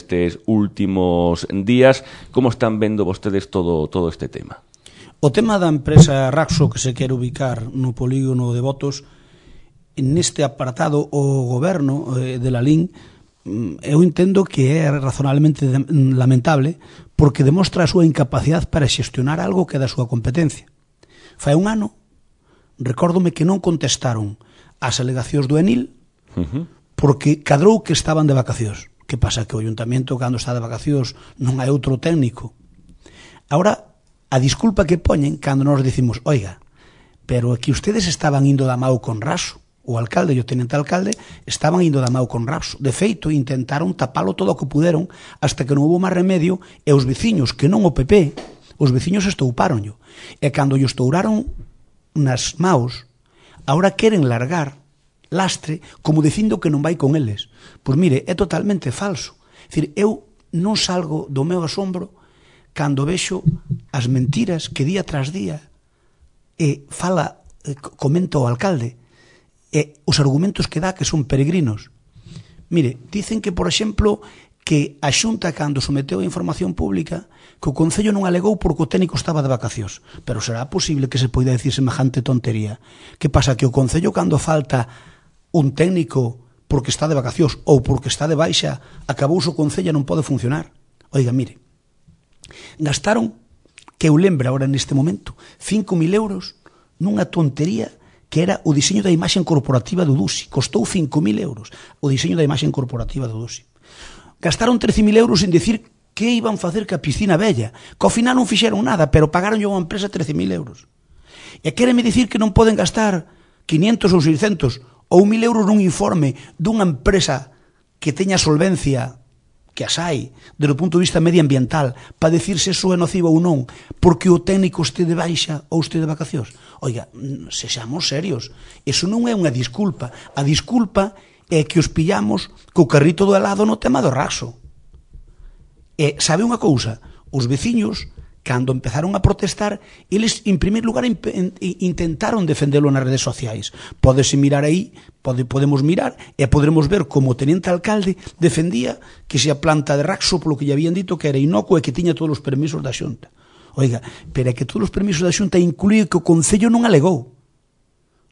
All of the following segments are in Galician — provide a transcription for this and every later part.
nestes últimos días. Como están vendo vostedes todo este tema? O tema da empresa Raxo, que se quere ubicar no polígono de Botos, neste apartado o goberno de Lalín, eu entendo que é razonablemente lamentable, porque demostra a súa incapacidade para xestionar algo que é da súa competencia. Fai un ano, recórdome que non contestaron as alegacións do Enil, porque cadrou que estaban de vacacións. Que pasa? Que o Ayuntamento, cando está de vacacións, non hai outro técnico. Ahora, a disculpa que poñen cando nos dicimos, oiga, pero que ustedes estaban indo da mau con Raxo, o alcalde e o tenente alcalde estaban indo da mau con Raxo. De feito, intentaron tapalo todo o que puderon hasta que non houve máis remedio, e os veciños, que non o PP, os veciños estoupáronllo. E cando lle estouraron nas maus, agora queren largar lastre como dicindo que non vai con eles. Pois mire, é totalmente falso. É dicir, eu non salgo do meu asombro cando vexo as mentiras que día tras día comenta o alcalde, e os argumentos que dá que son peregrinos. Mire, dicen que, por exemplo, que a Xunta, cando someteu a información pública, que o Concello non alegou porque o técnico estaba de vacacións. Pero será posible que se poida decir semejante tontería? Que pasa? Que o Concello, cando falta un técnico porque está de vacacións ou porque está de baixa, acabouse o Concello e non pode funcionar. Oiga, mire, gastaron, que eu lembro agora neste momento, 5.000 euros nunha tontería que era o diseño da imaxe corporativa do DUSI. Costou 5.000 euros o diseño da imaxe corporativa do DUSI. Gastaron 13.000 euros en decir que iban facer ca piscina bella, que ao final non fixeron nada, pero pagaron a unha empresa 13.000 euros. E quéreme dicir que non poden gastar 500 ou 600 ou 1.000 euros nun informe dunha empresa que teña solvencia, que as hai, desde o punto de vista medioambiental, para decir se eso é nocivo ou non, porque o técnico este de baixa ou este de vacacións. Oiga, sexamos serios, eso non é unha disculpa. A disculpa é que os pillamos co carrito do helado no tema do Raxo. E sabe unha cousa? Os veciños, cando empezaron a protestar, eles, en primeiro lugar, intentaron defendelo nas redes sociais. Pódese mirar aí, podemos mirar, e podremos ver como o tenente alcalde defendía que se a planta de Raxo, polo que lle habían dito que era inocua e que tiña todos os permisos da Xunta. Oiga, pero é que todos os permisos da Xunta incluían que o Concello non alegou.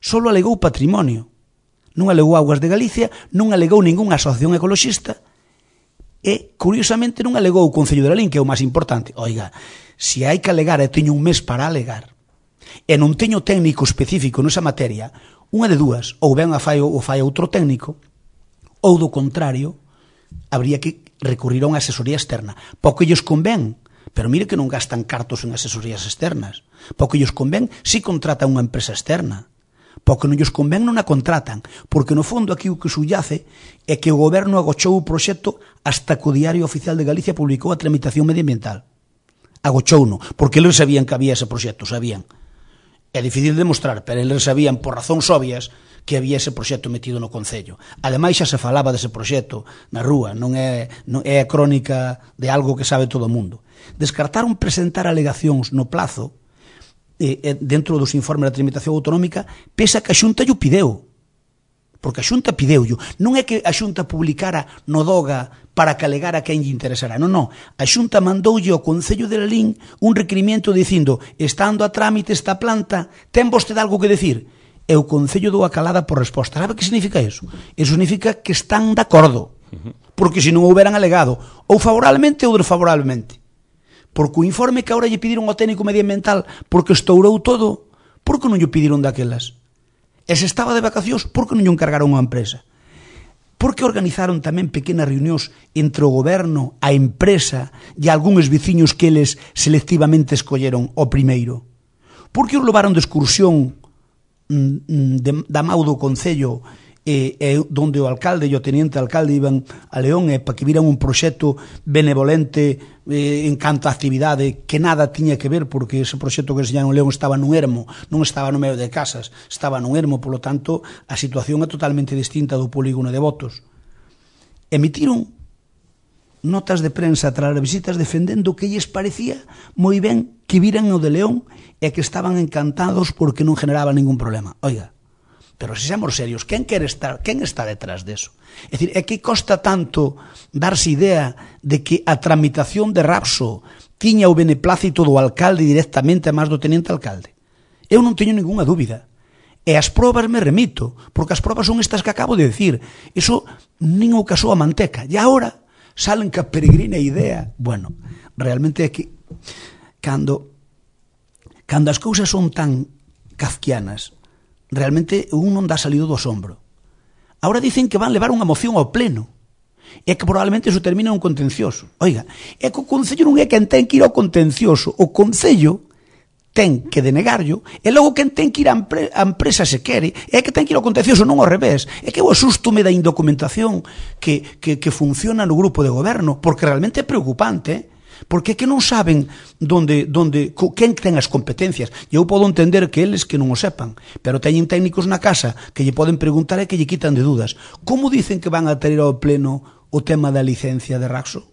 Solo alegou patrimonio. Non alegou Augas de Galicia, non alegou ningunha asociación ecoloxista e, curiosamente, non alegou o Concello de Lalín, que é o máis importante. Oiga, se hai que alegar, e teño un mes para alegar, e non teño técnico específico nesa materia, unha de dúas, ou ben o fai outro técnico, ou do contrario, habría que recurrir a unha asesoría externa. Pouco lles convén, pero mire que non gastan cartos en asesorías externas. Pouco lles convén si contratan unha empresa externa. Pouco non lles convén non a contratan, porque no fondo aquí o que subyace é que o goberno agochou o proxecto hasta que o Diario Oficial de Galicia publicou a tramitación medioambiental. Agochouno, porque eles sabían que había ese proxecto, sabían. É difícil de demostrar, pero eles sabían por razóns obvias que había ese proxecto metido no Concello. Ademais, xa se falaba dese proxecto na rúa, non é a crónica de algo que sabe todo o mundo. Descartaron presentar alegacións no plazo dentro dos informes da tramitación autonómica, pese a que a Xunta lle pideu. Porque a Xunta pideullo. Non é que a Xunta publicara no DOGA para que alegara a quen lle interesara. Non, non. A Xunta mandoulle ao Concello de Lalín un requerimento dicindo, estando a trámite esta planta, ten vostede algo que decir? E o Concello dou a calada por resposta. Sabe que significa eso? Eso significa que están de acordo. Porque se non houberan alegado ou favorablemente ou desfavorablemente. Porque o informe que agora lle pediron ao técnico medioambiental porque estourou todo, por que non lle pediron daquelas? E se estaba de vacacións, por que non lle encargaron a empresa? Por que organizaron tamén pequenas reunións entre o goberno, a empresa e algúns veciños que eles selectivamente escolleron o primeiro? Por que os levaron de excursión da mau do Concello donde o alcalde e o teniente alcalde iban a León para que viran un proxecto benevolente en canto a actividade que nada tiña que ver, porque ese proxecto que se llama León estaba nun ermo, non estaba no medio de casas, estaba nun ermo, polo tanto a situación é totalmente distinta do polígono de Botos. Emitiron notas de prensa tras as visitas defendendo que lles parecía moi ben que viran o de León e que estaban encantados porque non generaba ningún problema. Oiga, Pero se seamos serios, quen está detrás deso? É dicir, é que costa tanto darse idea de que a tramitación de Rapso tiña o beneplácito do alcalde directamente a máis do teniente alcalde. Eu non teño ninguna dúbida. E as probas me remito, porque as probas son estas que acabo de decir. Iso nin o casou a manteca. E agora salen ca peregrina idea. Bueno, realmente é que cando as cousas son tan kafkianas, realmente un non dá salido do asombro. Ahora dicen que van levar unha moción ao pleno e que probablemente iso termina un contencioso. Oiga, é que o Concello non é quen ten que ir ao contencioso. O Concello ten que denegarlo e logo quen ten que ir á empresa se quere é que ten que ir ao contencioso, non ao revés. É que eu asústome da indocumentación que funciona no grupo de goberno, porque realmente é preocupante, porque é que non saben quen ten as competencias. E eu podo entender que eles que non o sepan, pero teñen técnicos na casa que lle poden preguntar e que lle quitan de dudas. Como dicen que van a traer ao pleno o tema da licencia de Rapso?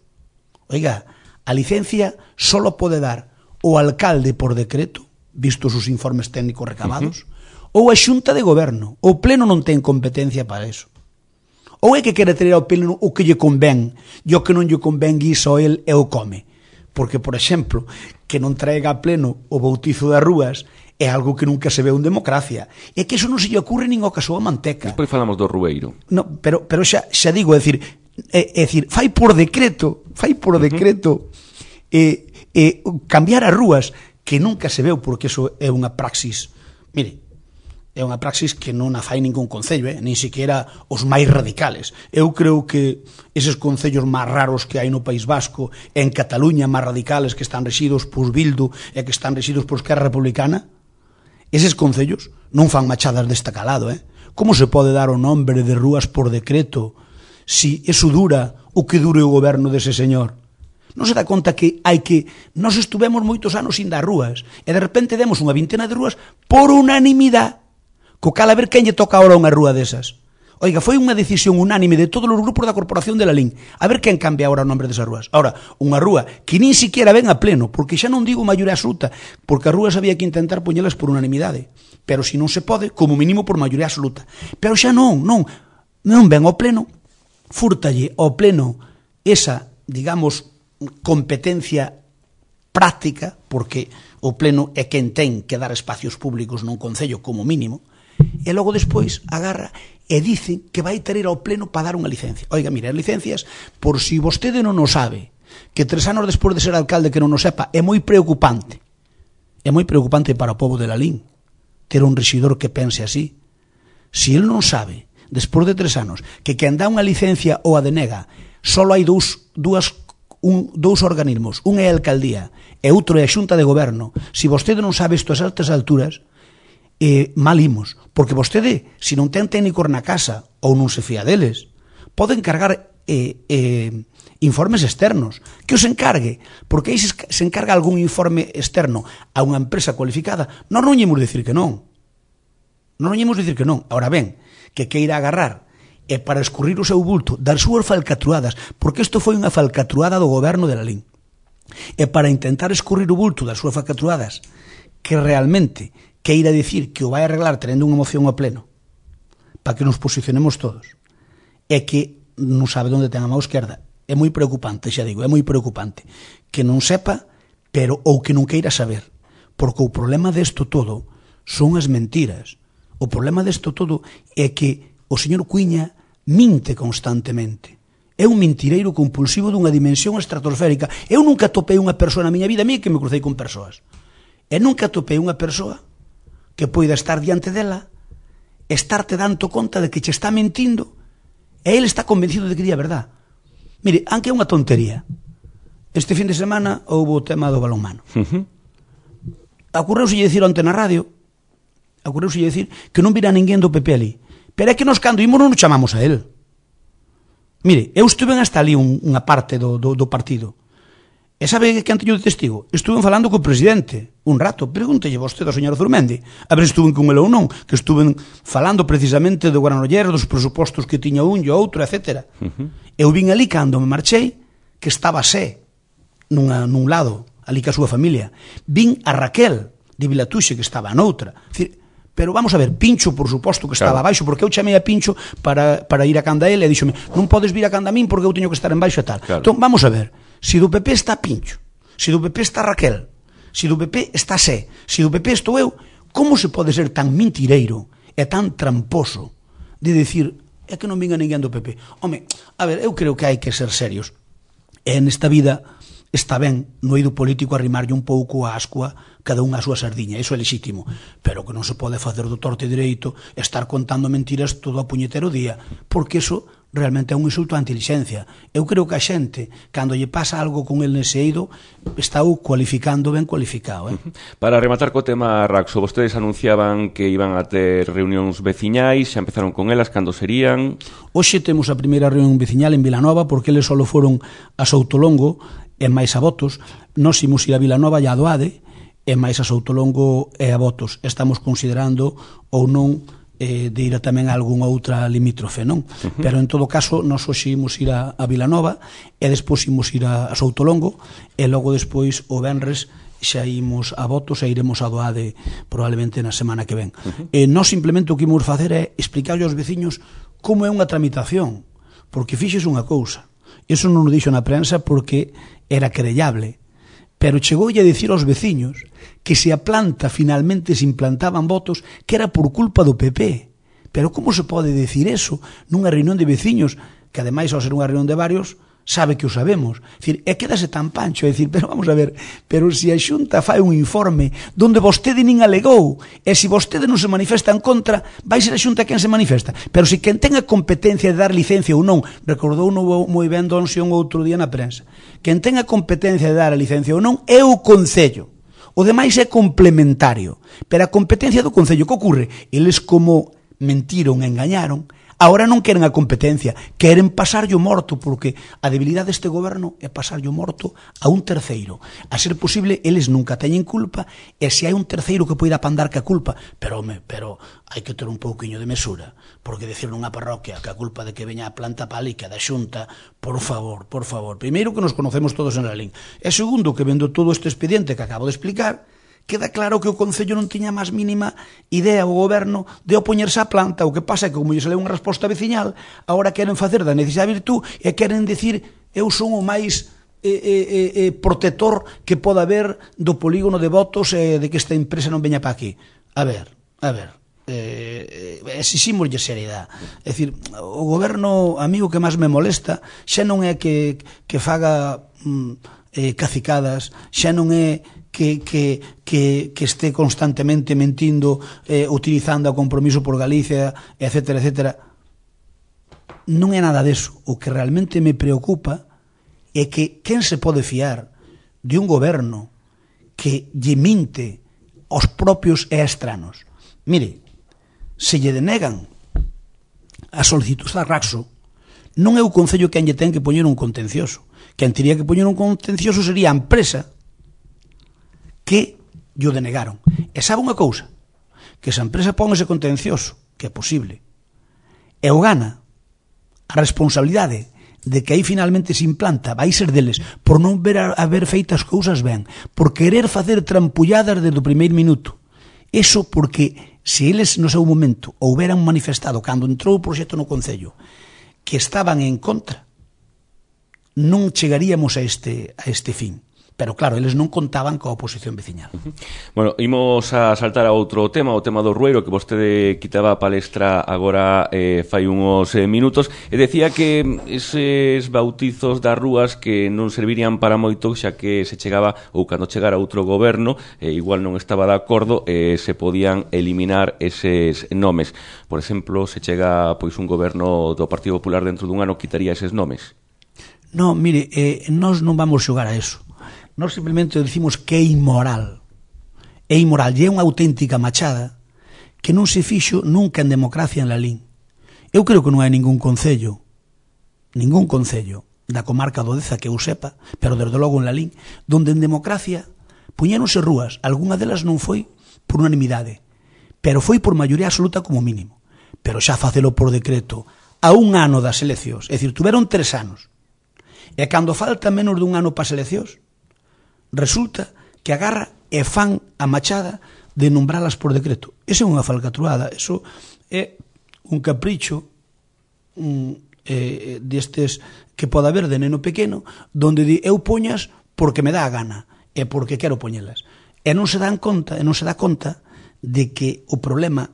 Oiga, a licencia só pode dar o alcalde por decreto, vistos os informes técnicos recabados, ou a xunta de goberno. O pleno non ten competencia para eso. Ou é que quere traer ao pleno o que lle convén, e o que non lle convén guisa el e o come. Porque, por exemplo, que non traiga a pleno o bautizo das rúas é algo que nunca se ve en democracia. É que iso non se lle ocurre nin ao caso a manteca. Despois falamos do Rueiro. No, pero xa digo, é dicir, fai por decreto cambiar as rúas, que nunca se veu, porque iso é unha praxis. Mire, é unha praxis que non a fai ningún concello, nin siquiera os máis radicales. Eu creo que eses concellos máis raros que hai no País Vasco, en Cataluña máis radicales, que están rexidos por Bildu e que están rexidos por Esquerra Republicana, eses concellos non fan machadas deste calado. Como se pode dar o nombre de rúas por decreto si eso dura o que dure o goberno dese señor? Non se dá conta que nós estuvemos moitos anos sin dar rúas e de repente demos unha vintena de rúas por unanimidade, co cal a ver quen lle toca ahora unha rúa desas. Oiga, foi unha decisión unánime de todos os grupos da Corporación de Lalín. A ver quen cambia ahora o nombre desas rúas. Ahora, unha rúa que nin siquiera ven a pleno, porque xa non digo maioría absoluta, porque as rúas había que intentar poñelas por unanimidade. Pero se non se pode, como mínimo por maioría absoluta. Pero xa non ven ao pleno, fúrtalle ao pleno esa, digamos, competencia práctica, porque o pleno é quen ten que dar espacios públicos nun concello como mínimo, e logo despois agarra e dicen que vai ter ao pleno para dar unha licencia. Oiga, mire, as licencias, por si vostede non o sabe, que 3 anos despois de ser alcalde que non o sepa, é moi preocupante. É moi preocupante para o povo de Lalín ter un rexidor que pense así. Si el non sabe, despois de 3 anos, que quen dá unha licencia ou a denega, só hai dous organismos, un é a alcaldía e outro é a xunta de goberno. Si vostede non sabe isto a certas alturas, mal imos, porque vostede, se non ten técnicos na casa ou non se fía deles, pode encargar informes externos, que os encargue, porque aí se encarga algún informe externo a unha empresa cualificada, non ímos dicir que non. Non ímos dicir que non. Ahora ben, que queira agarrar e para escurrir o seu bulto das súas falcatruadas, porque isto foi unha falcatruada do goberno de Lalín, e para intentar escurrir o bulto das súas falcatruadas, que realmente queira dicir que o vai arreglar tendo unha moción ao pleno, para que nos posicionemos todos, é que non sabe onde ten a mão esquerda. É moi preocupante, xa digo, é moi preocupante que non sepa, pero ou que non queira saber, porque o problema desto todo son as mentiras. O problema desto todo é que o señor Cuíña minte constantemente. É un mentireiro compulsivo dunha dimensión estratosférica. Eu nunca topei unha persoa na miña vida, a mí que me crucei con persoas, e nunca topei unha persoa que poida estar diante dela, estarte dando conta de que che está mentindo, e ele está convencido de que di a verdad. Mire, aunque é unha tontería, este fin de semana houve o tema do balonmano. Ocurreuselle dicir onte na radio, ocurreuselle dicir que non vira ninguén do PP ali, pero é que nos cando imos non nos chamamos a él. Mire, eu estuve hasta ali unha parte do partido. E sabe que teño de testigo? Estuve falando co presidente un rato. Pregúntelle vostede ao señor Zurmendi a ver se estuve con ele ou non, que estuve falando precisamente do Granollers, dos presupostos que tiña un e outro, etc. Eu vin ali cando me marchei que estaba Sé nun lado, ali ca súa familia. Vin a Raquel de Vilatuxe que estaba noutra. Pero vamos a ver, Pincho, por suposto que estaba abaixo, porque eu chamei a Pincho para ir a canda ele e díxome, non podes vir a canda a min porque eu teño que estar en baixo e tal. Entón, vamos a ver, se do PP está Pincho, se do PP está Raquel, se do PP está Sé, se do PP estou eu, como se pode ser tan mentireiro e tan tramposo de dicir, é que non vinga ninguén do PP? Home, a ver, eu creo que hai que ser serios. E nesta vida está ben no eido político arrimarlle un pouco a ascua cada unha a súa sardiña, iso é lexítimo, pero que non se pode facer do torte direito estar contando mentiras todo a puñetero día, porque iso realmente é un insulto á inteligencia. Eu creo que a xente, cando lle pasa algo con el nese eido, está cualificando ben cualificado. Para rematar co tema Raxo, vostedes anunciaban que iban a ter reunións veciñais, xa empezaron con elas, cando serían? Hoxe temos a primeira reunión veciñal en Vilanova, porque eles só foron a Soutolongo e máis a Botos. Nós imos ir a Vilanova e a Doade, e máis a Soutolongo e a Botos. Estamos considerando ou non de ir tamén a algunha outra limítrofe, non? Pero en todo caso, nós hoxe imos ir a Vilanova e despois imos ir a Soutolongo e logo despois o venres xa imos a Botos e iremos a Doade probablemente na semana que ven. Nós simplemente o que imos facer é explicarlle aos veciños como é unha tramitación, porque fixes unha cousa. Iso non o dixo na prensa porque era querellable, pero chegoulle a dicir aos veciños que se a planta finalmente se implantaban votos que era por culpa do PP. Pero como se pode dicir eso nunha reunión de veciños, que ademais ao ser unha reunión de varios, sabe que o sabemos? É quedase tan pancho, pero vamos a ver, pero se a Xunta fai un informe donde vostede nin alegou, e se vostede non se manifesta en contra, vai ser a Xunta quen se manifesta. Pero se quen ten a competencia de dar licencia ou non, recordou moi ben Don Xión outro día na prensa, quen ten a competencia de dar a licencia ou non é o Concello. O demais é complementario, pero a competencia do Concello, que ocorre? Eles como mentiron, engañaron, agora non queren a competencia, queren pasarlle o morto, porque a debilidade deste goberno é pasarlle o morto a un terceiro. A ser posible, eles nunca teñen culpa, e se hai un terceiro que poida apandar que a culpa, pero hai que ter un pouquiño de mesura, porque decir nunha parroquia que a culpa de que veña a planta pálica da Xunta, por favor, primeiro que nos conocemos todos en Lalín, e segundo que vendo todo este expediente que acabo de explicar, queda claro que o Concello non tiña máis mínima idea o goberno de opoñerse á planta. O que pasa é que, como lle sale unha resposta veciñal, agora queren facer da necesidade virtud e queren dicir eu son o máis protector que poda haber do polígono de votos de que esta empresa non veña para aquí. A ver, exiximoslle seriedade. É dicir, o goberno, a mí o que máis me molesta xa non é que faga cacicadas, xa non é que este constantemente mentindo, utilizando o compromiso por Galicia, etcétera, etcétera. Non é nada deso. O que realmente me preocupa é que quen se pode fiar de un goberno que lle minte aos propios e estranos. Mire, se lle denegan a solicitud a Raxo, non é o Concello quen lle ten que poñer un contencioso. Quen teria que poñer un contencioso sería a empresa que lle denegaron. E sabe unha cousa? Que se a empresa pon ese contencioso, que é posible, e o gana, a responsabilidade de que aí finalmente se implanta vai ser deles por non haber feitas cousas ben, por querer facer trampulladas desde o primeiro minuto. Eso porque se eles no seu momento houberan manifestado cando entrou o proxecto no Concello que estaban en contra, non chegaríamos a este fin. Pero claro, eles non contaban coa oposición veciñal. Bueno, imos a saltar a outro tema, o tema do Rueiro, que vostede quitaba a palestra agora fai uns minutos, e decía que eses bautizos das rúas que non servirían para moito, xa que se chegaba, ou cando chegara outro goberno, igual non estaba de acordo, se podían eliminar eses nomes. Por exemplo, se chega pois un goberno do Partido Popular dentro dun ano, quitaría eses nomes? Non, mire, nós non vamos xogar a eso. Nós simplemente dicimos que é inmoral. É inmoral, e é unha auténtica machada que non se fixo nunca en democracia en Lalín. Eu creo que non hai ningún concello da comarca do Deza que eu sepa, pero desde logo en Lalín, donde en democracia puñéronse rúas, algunha delas non foi por unanimidade, pero foi por maioría absoluta como mínimo. Pero xa facelo por decreto a un ano das eleccións, é dicir, tuveron 3 anos, e cando falta menos dun ano para as eleccións, resulta que agarra e fan a machada de nombralas por decreto. Esa é unha falcatruada, eso é un capricho destes que pode haber de neno pequeno, donde di, eu poñas porque me dá a gana, e porque quero poñelas. E non se dá conta de que o problema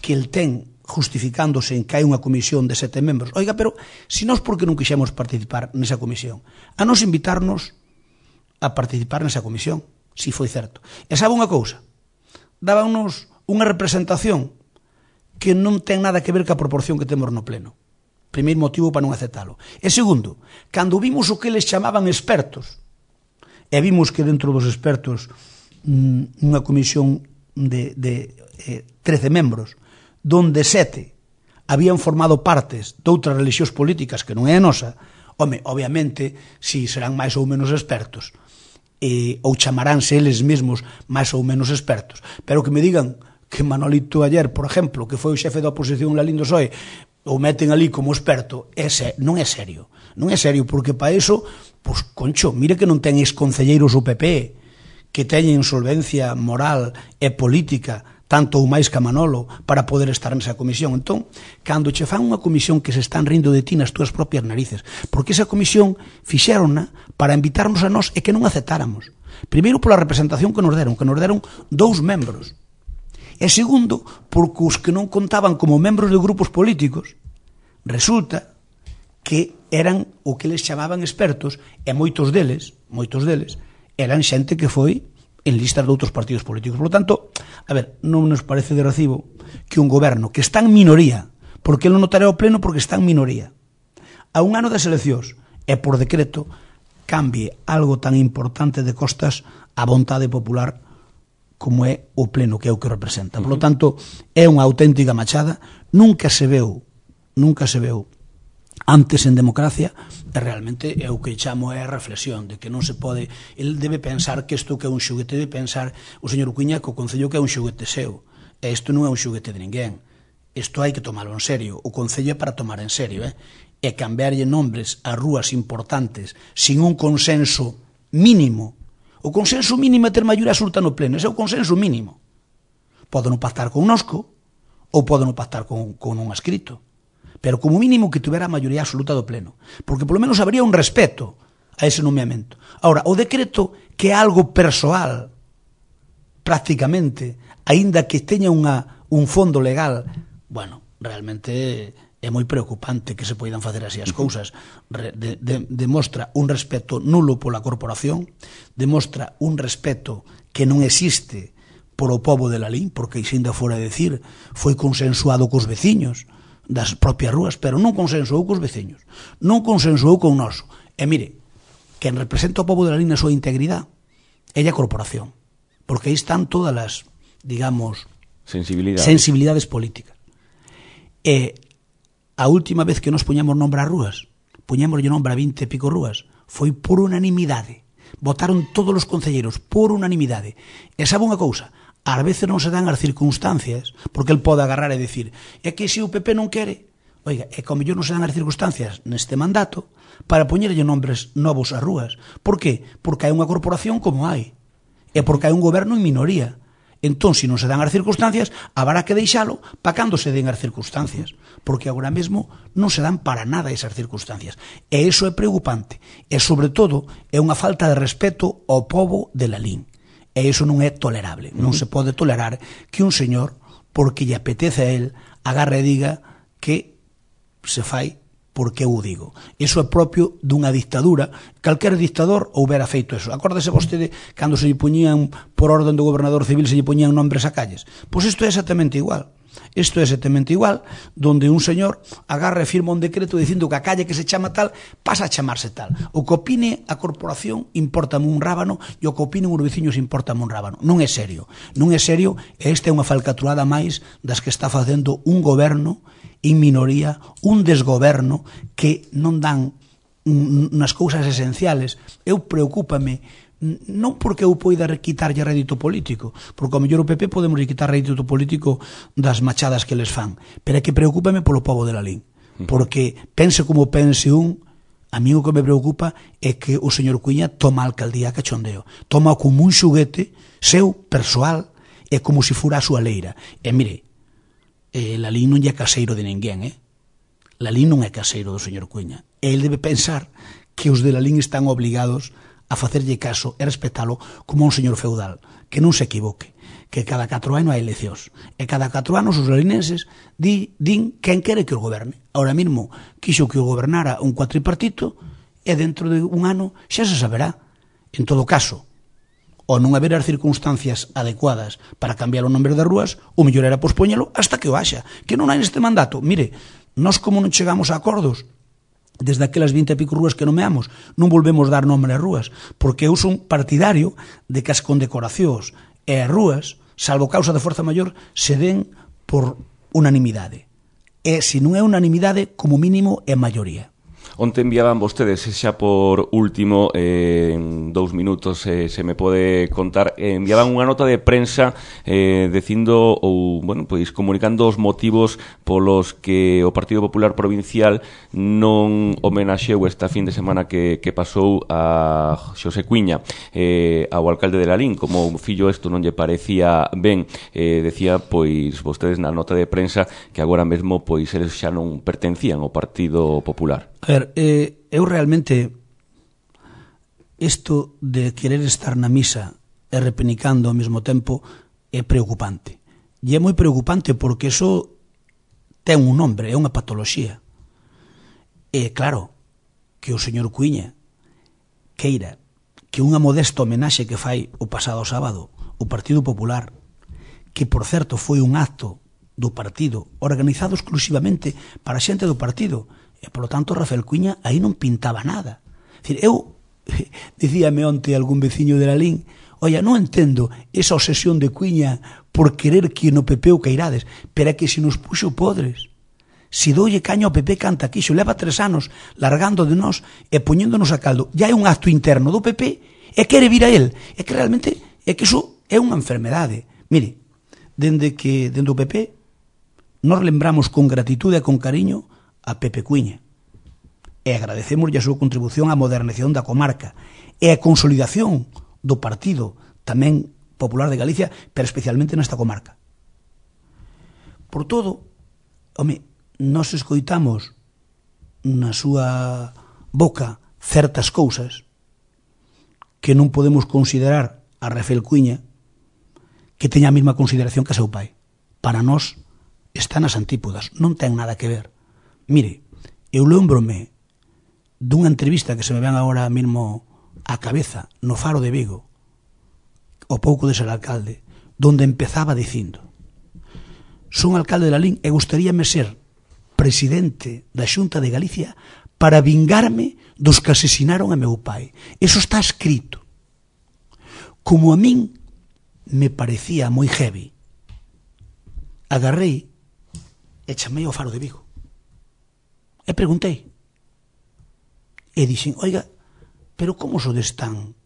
que el ten justificándose en que hai unha comisión de 7 membros. Oiga, pero se nós por que non quixemos participar nesa comisión? A nos invitarnos a participar nesa comisión, si foi certo. E sabe unha cousa? Dábanos unha representación que non ten nada que ver ca proporción que temos no pleno. Primeiro motivo para non aceptalo. E segundo, cando vimos o que eles chamaban expertos, e vimos que dentro dos expertos unha comisión de 13 membros, donde 7 habían formado partes de outras religións políticas que non é a nosa, obviamente, si serán máis ou menos expertos, ou chamaránse eles mesmos máis ou menos expertos, pero que me digan que Manolito Ayer, por exemplo, que foi o xefe da oposición Lalín do PSOE, o meten ali como experto, non é serio. Non é serio, porque para iso, pois, concho, mire que non ten exconcelleiros o PP, que teñen solvencia moral e política, tanto ou máis que a Manolo, para poder estar nesa comisión. Entón, cando che fan unha comisión que se están rindo de ti nas túas propias narices, porque esa comisión fixérona para invitarnos a nós e que non aceptáramos. Primeiro, pola representación que nos deron 2 membros. E segundo, porque os que non contaban como membros de grupos políticos, resulta que eran o que les chamaban expertos, e moitos deles eran xente que foi en listas de outros partidos políticos. Por lo tanto, a ver, non nos parece de recibo que un goberno que está en minoría, porque non notará o pleno porque está en minoría, a un ano das eleccións e por decreto cambie algo tan importante de costas á vontade popular como é o pleno, que é o que representa. Por lo tanto, é unha auténtica machada, nunca se veu antes en democracia, e realmente é o que chamo é a reflexión de que non se pode, el debe pensar que isto que é un xoguete, debe pensar o señor Cuíña que o Concello que é un xoguete seu, e isto non é un xoguete de ninguén, isto hai que tomalo en serio, o Concello é para tomar en serio, e cambiarlle nombres a rúas importantes sin un consenso mínimo. O consenso mínimo é ter maioría absoluta no pleno, ese é o consenso mínimo. Pode non pactar con nosco ou pode non pactar con un escrito, pero como mínimo que tuvera a maioría absoluta do pleno, porque polo menos habría un respeto a ese nomeamento. Ahora, o decreto, que é algo persoal, prácticamente, aínda que teña un fondo legal, bueno, realmente é moi preocupante que se poidan facer así as cousas. Demostra un respeto nulo pola corporación, demostra un respeto que non existe polo pobo de Lalín, porque ainda fora decir, foi consensuado cos veciños das propias rúas, pero non consensuou cos veciños, non consensuou con noso. E mire, quen representa o pobo de Lalín na súa integridade é a corporación, porque aí están todas as, digamos, sensibilidades políticas. E a última vez que nos poñamos nombre ás rúas, poñémoslle nombre a 20 e pico rúas, foi por unanimidade. Votaron todos os concelleiros por unanimidade. E sabe unha cousa? Ás veces non se dan as circunstancias, porque el pode agarrar e dicir, é que se o PP non quere, oiga, é que ao mellor non se dan as circunstancias neste mandato para poñerlle nombres novos ás rúas. Por qué? Porque hai unha corporación como hai, e porque hai un goberno en minoría. Entón, se non se dan as circunstancias, haberá que deixalo para cando se den as circunstancias, porque agora mesmo non se dan para nada esas circunstancias. E iso é preocupante, e sobre todo é unha falta de respeto ao pobo de Lalín. E iso non é tolerable. Non se pode tolerar que un señor, porque lle apetece a él, agarre e diga que se fai porque eu o digo. Iso é propio dunha dictadura. Calquer dictador houbera feito eso. Acórdese vostede cando se lle poñían, por orden do gobernador civil, se lle poñían nombres a calles. Pois isto é exactamente igual. Isto é exactamente igual, donde un señor agarra e firma un decreto dicindo que a calle que se chama tal pasa a chamarse tal. O que opine a corporación importame un rábano e o que opinen os veciños importame un rábano. Non é serio. Non é serio, e esta é unha falcatruada máis das que está facendo un goberno en minoría, un desgoberno que non dan nas cousas esenciales. Eu preocúpame, non porque eu poida quitarlle rédito político, porque ao mellor o PP podemos quitar rédito político das machadas que les fan, pero é que preocúpame polo pobo de Lalín, porque pense como pense a mí o que me preocupa é que o señor Cuíña toma a alcaldía a cachondeo, toma como un xuguete seu, persoal, é como se fora a súa leira. E mire, Lalín non é caseiro de ninguén, Lalín non é caseiro do señor Cuña. El debe pensar que os de Lalín están obligados a facerlle caso e respetalo como un señor feudal, que non se equivoque, que cada 4 anos hai eleccións, e cada 4 anos os lalinenses din quen quere que o goberne. Ahora mesmo quixo que o gobernara un cuatripartito, e dentro de un ano xa se saberá. En todo caso, ou non haber as circunstancias adecuadas para cambiar o nombre das rúas, o mellor era pospoñelo hasta que o haxa, que non hai neste mandato. Mire, nós como non chegamos a acordos desde aquelas 20 e pico rúas que nomeamos, non volvemos dar nombre ás rúas, porque eu son partidario de que as condecoracións e as rúas, salvo causa de forza maior, se den por unanimidade. E se non é unanimidade, como mínimo é maioría. Onte enviaban vostedes, xa por último, en 2 minutos se me pode contar, enviaban unha nota de prensa dicindo ou, bueno, pois comunicando os motivos polos que o Partido Popular Provincial non homenaxeou esta fin de semana que pasou a Xosé Cuña, ao alcalde de Lalín, como o fillo isto non lle parecía ben. Decía, pois, vostedes na nota de prensa que agora mesmo, pois, eles xa non pertencían ao Partido Popular. A ver, eu realmente isto de querer estar na misa e repenicando ao mesmo tempo é preocupante. E é moi preocupante porque iso ten un nombre, é unha patoloxía. E claro, que o señor Cuña queira que unha modesta homenaxe que fai o pasado sábado o Partido Popular, que por certo foi un acto do partido organizado exclusivamente para a xente do partido, e, polo tanto, Rafael Cuña aí non pintaba nada. É dicir, eu, dicíame onte algún veciño de Lalín, oia, non entendo esa obsesión de Cuña por querer que no PP o cairades, pero é que se nos puxo podres. Se doulle caño ao PP canta quixo, leva 3 anos largando de nós e poñéndonos a caldo. Ya é un acto interno do PP e quere vir a él. É que realmente, é que iso é unha enfermedade. Mire, dende o PP, nos lembramos con gratitude e con cariño a Pepe Cuña e agradecemoslle a súa contribución á modernización da comarca e a consolidación do partido tamén popular de Galicia, pero especialmente nesta comarca. Por todo, home, nos escoitamos na súa boca certas cousas que non podemos considerar a Rafael Cuña que teña a mesma consideración que a seu pai. Para nós está nas antípodas, non ten nada que ver. Mire, eu lembrome dunha entrevista que se me ven agora mesmo á cabeza no Faro de Vigo, ao pouco de ser alcalde, donde empezaba dicindo: son alcalde de Lalín e gustaríame ser presidente da Xunta de Galicia para vingarme dos que asesinaron a meu pai. Eso está escrito. Como a min me parecía moi heavy, agarrei e chamei ao Faro de Vigo e preguntei e dixen, oiga, pero como sodes tan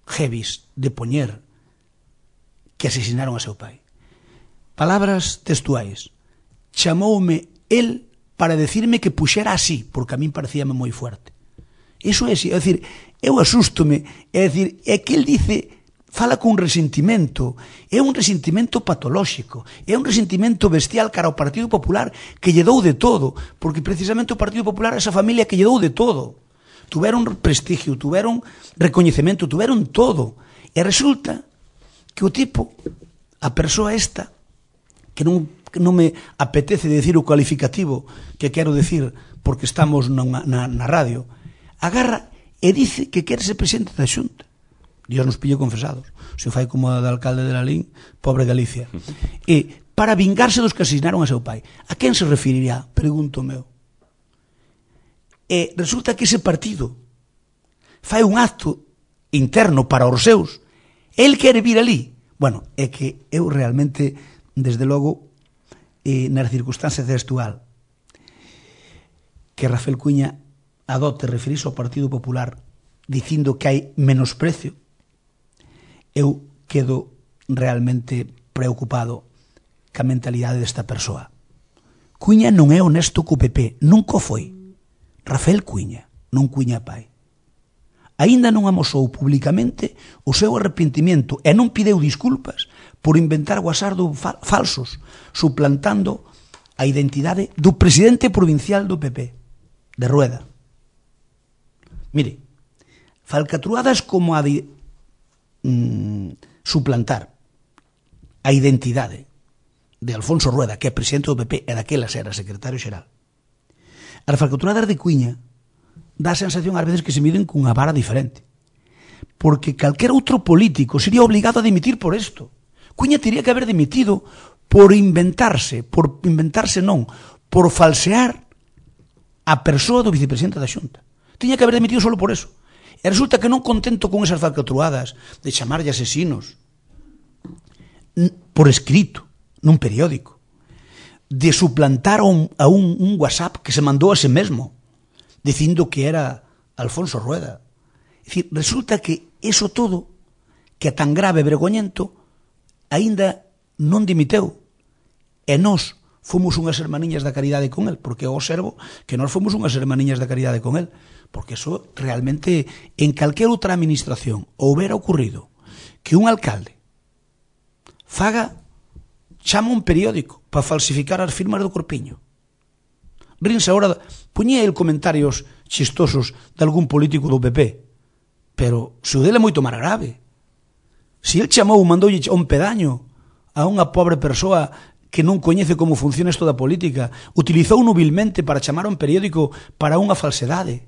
heavies de poñer que asesinaron a seu pai? Palabras textuais: chamoume el para decirme que puxera así, porque a min parecíame moi fuerte. Iso é así, é dicir, eu asústome, é dicir, é que el dice, fala con resentimento, é un resentimento patolóxico, é un resentimento bestial cara ao Partido Popular que lle dou de todo, porque precisamente o Partido Popular é esa familia que lle dou de todo. Tuveron prestigio, tuveron recoñecemento, tuveron todo. E resulta que o tipo, a persoa esta, que non me apetece decir o cualificativo que quero decir porque estamos na radio, agarra e dice que quere ser presidente da Xunta. Dios nos pille confesados. Se fai como a de alcalde de Lalín, pobre Galicia. E para vingarse dos que asesinaron a seu pai. A quen se referiría? Pregunto meu. E resulta que ese partido fai un acto interno para os seus. El quere vir ali. Bueno, é que eu realmente, desde logo, nas circunstancias textual, que Rafael Cuña adote referirse ao Partido Popular dicindo que hai menosprecio, eu quedo realmente preocupado ca mentalidade desta persoa. Cuña non é honesto co PP, nunca foi. Rafael Cuña, non Cuña pai. aínda non amosou publicamente o seu arrepentimento e non pideu disculpas por inventar guasardo falsos, suplantando a identidade do presidente provincial do PP, de Rueda. Mire, falcatruadas como a de suplantar a identidade de Alfonso Rueda, que é presidente do PP e daquelas era secretario xeral. As falcatruadas de Cuíña dá a sensación ás veces que se miden cunha vara diferente. Porque calquer outro político sería obligado a dimitir por isto. Cuíña teria que haber dimitido por inventarse non, por falsear a persoa do vicepresidente da Xunta. Tiña que haber dimitido solo por eso. E resulta que non contento con esas falcatruadas de chamarlle asesinos por escrito, nun periódico, de suplantar a un WhatsApp que se mandou a sí mesmo, dicindo que era Alfonso Rueda. É dicir, resulta que eso todo, que é tan grave e vergoñento, aínda non dimiteu. E nós fomos unhas hermaniñas da caridade con el, porque eu observo que nós fomos unhas hermaniñas da caridade con el, porque eso realmente en calquera outra administración houbera ocurrido que un alcalde chama un periódico para falsificar as firmas do Corpiño. Rinse agora, puñía el comentarios chistosos de algún político do PP, pero se o dele é moito máis grave. Se el mandoulle un pedaño a unha pobre persoa que non coñece como funciona isto da política, utilizou nubilmente para chamar a un periódico para unha falsedade.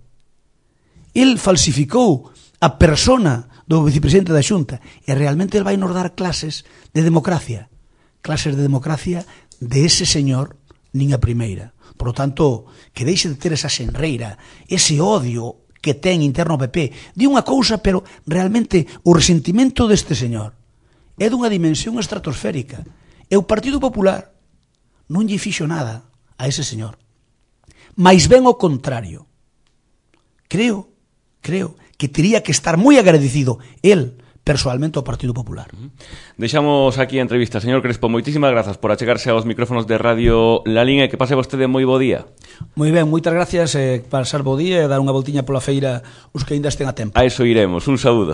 El falsificou a persona do vicepresidente da Xunta e realmente el vai nos dar clases de democracia de ese señor nin a primeira. Por lo tanto, que deixe de ter esa senreira, ese odio que ten interno ao PP. Di unha cousa, pero realmente o resentimento deste señor é dunha dimensión estratosférica. E o Partido Popular non lle fixo nada a ese señor. Mais ben o contrario. Creo que tería que estar moi agradecido el persoalmente ao Partido Popular. Deixamos aquí a entrevista. Señor Crespo, moitísimas grazas por achegarse aos micrófonos de Radio La Línea e que pase vostede moi bo día. Moi ben, moitas gracias, pasar bo día e dar unha voltiña pola feira os que ainda estén a tempo. A eso iremos. Un saúdo.